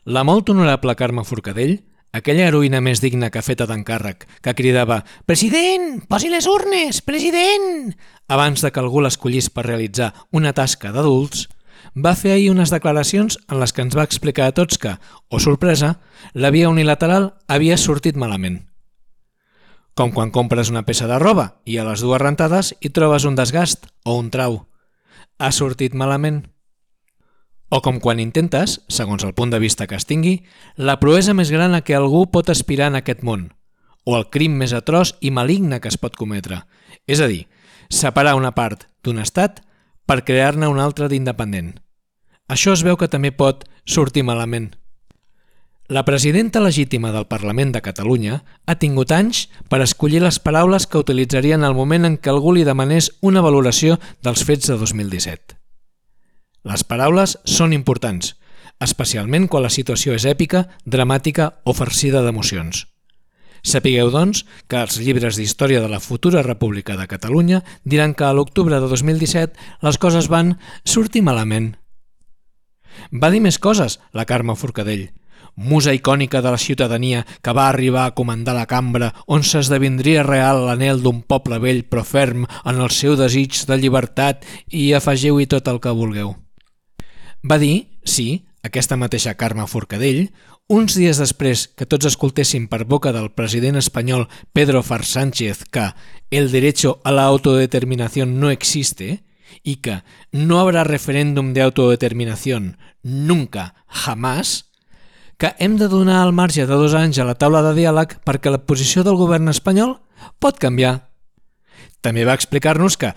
La molt honorable Carme Forcadell, aquella heroïna més digna que feta d'encàrrec, que cridava «President, posi les urnes, president!» abans de que algú l'escollís per realitzar una tasca d'adults, va fer ahir unes declaracions en les que ens va explicar a tots que, oh sorpresa, la via unilateral havia sortit malament. Com quan compres una peça de roba i a les dues rentades hi trobes un desgast o un trau. Ha sortit malament. O com quan intentes, segons el punt de vista que es tingui, la proesa més gran a què algú pot aspirar en aquest món, o el crim més atroç i maligne que es pot cometre, és a dir, separar una part d'un estat per crear-ne un altre d'independent. Això es veu que també pot sortir malament. La presidenta legítima del Parlament de Catalunya ha tingut anys per escollir les paraules que utilitzaria en el moment en què algú li demanés una valoració dels fets de 2017. Les paraules són importants, especialment quan la situació és èpica, dramàtica o farcida d'emocions. Sapigueu, doncs, que els llibres d'història de la futura República de Catalunya diran que a l'octubre de 2017 les coses van sortir malament. Va dir més coses, la Carme Forcadell, musa icònica de la ciutadania que va arribar a comandar la cambra on s'esdevindria real l'anhel d'un poble vell però ferm en el seu desig de llibertat i afegiu-hi tot el que vulgueu. Va dir, sí, aquesta mateixa Carme Forcadell, uns dies després que tots escoltéssim per boca del president espanyol Pedro Far Sánchez que el derecho a la autodeterminación no existe y que no habrá referéndum de autodeterminación nunca, jamás, que hem de donar el marge de 2 anys a la taula de diàleg perquè la posició del govern espanyol pot canviar. També va explicar-nos que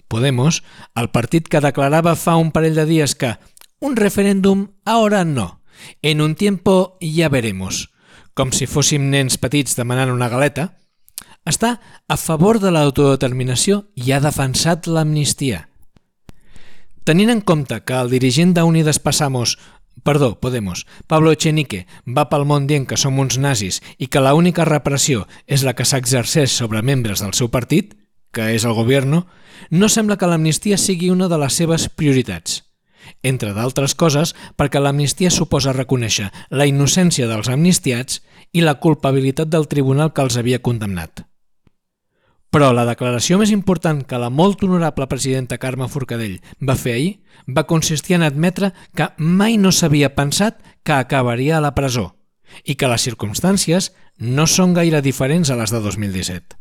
Podemos, el partit que declarava fa un parell de dies que un referèndum ahora no, en un tiempo ya veremos, com si fóssim nens petits demanant una galeta, està a favor de l'autodeterminació i ha defensat l'amnistia. Tenint en compte que el dirigent d'Unidas Podemos, Pablo Echenique, va pel món dient que som uns nazis i que l'única repressió és la que s'exerceix sobre membres del seu partit, que és el Gobierno, no sembla que l'amnistia sigui una de les seves prioritats. Entre d'altres coses, perquè l'amnistia suposa reconèixer la innocència dels amnistiats i la culpabilitat del tribunal que els havia condemnat. Però la declaració més important que la molt honorable presidenta Carme Forcadell va fer ahir va consistir en admetre que mai no s'havia pensat que acabaria a la presó i que les circumstàncies no són gaire diferents a les de 2017.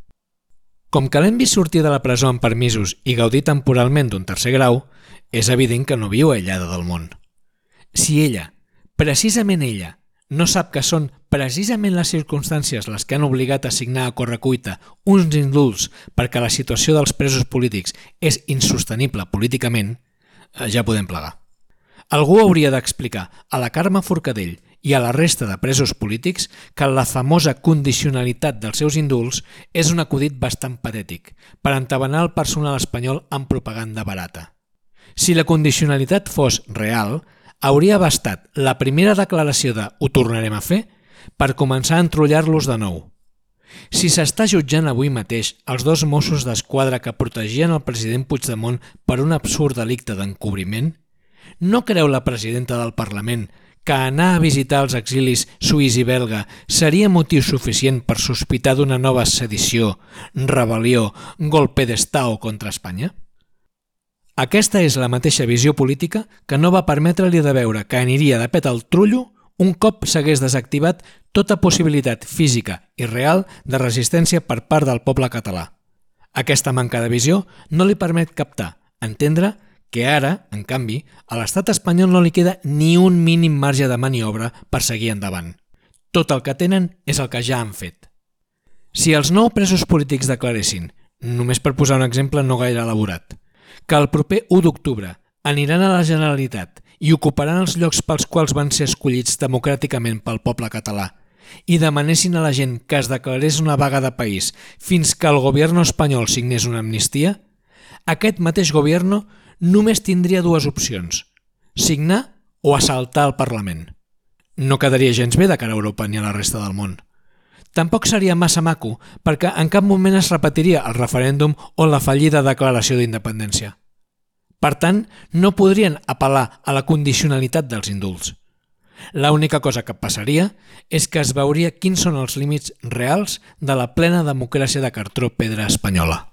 Com que l'hem vist sortir de la presó amb permisos i gaudir temporalment d'un 3è grau, és evident que no viu aïllada del món. Si ella, precisament ella, no sap que són precisament les circumstàncies les que han obligat a signar a correcuita uns indults perquè la situació dels presos polítics és insostenible políticament, ja podem plegar. Algú hauria d'explicar a la Carme Forcadell i a la resta de presos polítics que la famosa condicionalitat dels seus indults és un acudit bastant patètic per entabanar el personal espanyol amb propaganda barata. Si la condicionalitat fos real, hauria bastat la primera declaració de «ho tornarem a fer» per començar a entrollar-los de nou. Si s'està jutjant avui mateix els 2 Mossos d'Esquadra que protegien el president Puigdemont per un absurd delicte d'encobriment, no creu la presidenta del Parlament que anar a visitar els exilis suís i belga seria motiu suficient per sospitar d'una nova sedició, rebel·lió, golpe d'Estado contra Espanya? Aquesta és la mateixa visió política que no va permetre-li de veure que aniria de pet al trullo un cop s'hagués desactivat tota possibilitat física i real de resistència per part del poble català. Aquesta manca de visió no li permet captar, entendre, que ara, en canvi, a l'estat espanyol no li queda ni un mínim marge de maniobra per seguir endavant. Tot el que tenen és el que ja han fet. Si els 9 presos polítics declaressin, només per posar un exemple no gaire elaborat, que el proper 1 d'octubre aniran a la Generalitat i ocuparan els llocs pels quals van ser escollits democràticament pel poble català i demanessin a la gent que es declarés una vaga de país fins que el govern espanyol signés una amnistia, aquest mateix govern només tindria 2 opcions, signar o assaltar el Parlament. No quedaria gens bé de cara a Europa ni a la resta del món. Tampoc seria massa maco perquè en cap moment es repetiria el referèndum o la fallida declaració d'independència. Per tant, no podrien apel·lar a la condicionalitat dels indults. L'única cosa que passaria és que es veuria quins són els límits reals de la plena democràcia de cartró pedra espanyola.